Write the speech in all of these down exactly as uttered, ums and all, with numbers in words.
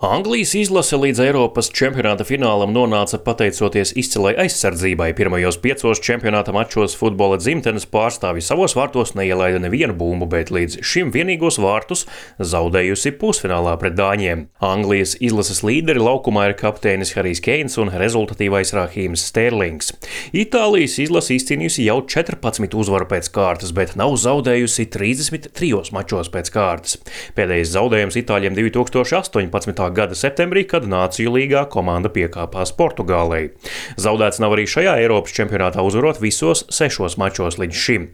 Anglijas izlase līdz Eiropas čempionāta finālam nonāca pateicoties izcilai aizsardzībai. Pirmajos piecos čempionāta mačos futbola dzimtenes pārstāvji savos vārtos neielaida nevienu bumbu, bet līdz šim vienīgos vārtus zaudējusi pusfinālā pret dāņiem. Anglijas izlases līderi laukumā ir kapteinis Harijs Keins un rezultatīvais Rahīms Sterlings. Itālijas izlase izcīnījusi jau četrpadsmit uzvaru pēc kārtas, bet nav zaudējusi trīsdesmit trijos mačos pēc kārtas. Pēdējais zaudējums itāļiem divi tūkstoši astoņpadsmitā gada septembrī, kad Nāciju līgā komanda piekāpās Portugālei. Zaudēts nav arī šajā Eiropas čempionātā, uzvarot visos sešos mačos līdz šim.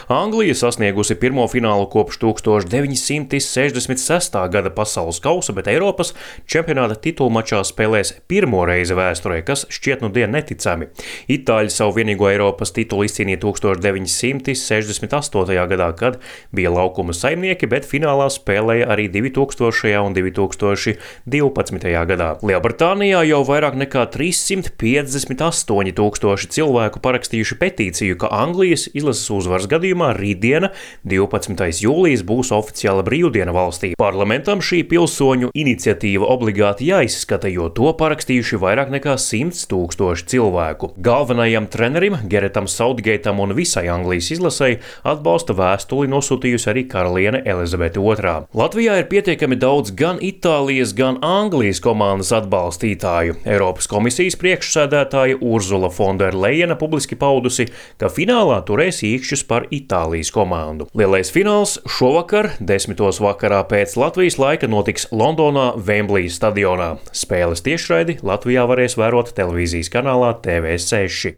Anglija sasniegusi pirmo finālu kopš tūkstoš deviņi simti sešdesmit sestā gada pasaules kausa, bet Eiropas čempionāta titulmačā spēlēs pirmo reizi vēsturē, kas šķiet nu dien neticami. Itāļi savu vienīgo Eiropas titulu izcīnīja tūkstoš deviņi simti sešdesmit astotajā gadā, kad bija laukuma saimnieki, bet finālā spēlēja arī divi tūkstošajā un divi tūkstoši divpadsmitajā gadā. Lielbritānijā jau vairāk nekā trīssimt piecdesmit astoņi tūkstoši cilvēku parakstījuši petīciju, ka Anglijas izlases uzvaras gadījumā rītdiena, divpadsmitais jūlijas, būs oficiāla brīvdiena valstī. Parlamentam šī pilsoņu iniciatīva obligāti jāizskata, jo to parakstījuši vairāk nekā simts tūkstoši cilvēku. Galvenajam trenerim, Geretam Southgateam un visai Anglijas izlasei atbalsta vēstuli nosūtījusi arī karaliene Elizabete otrā. Latvijā ir pietiekami daudz gan Itālijas, gan Anglijas komandas atbalstītāju. Eiropas komisijas priekšsēdētāja Urzula von der Leyena publiski paudusi, ka finālā turēs īkšķus par Itālijas komandu. Lielais fināls šovakar, desmitos vakarā pēc Latvijas laika, notiks Londonā Vemblija stadionā. Spēles tiešraidi Latvijā varēs vērot televīzijas kanālā T V seši.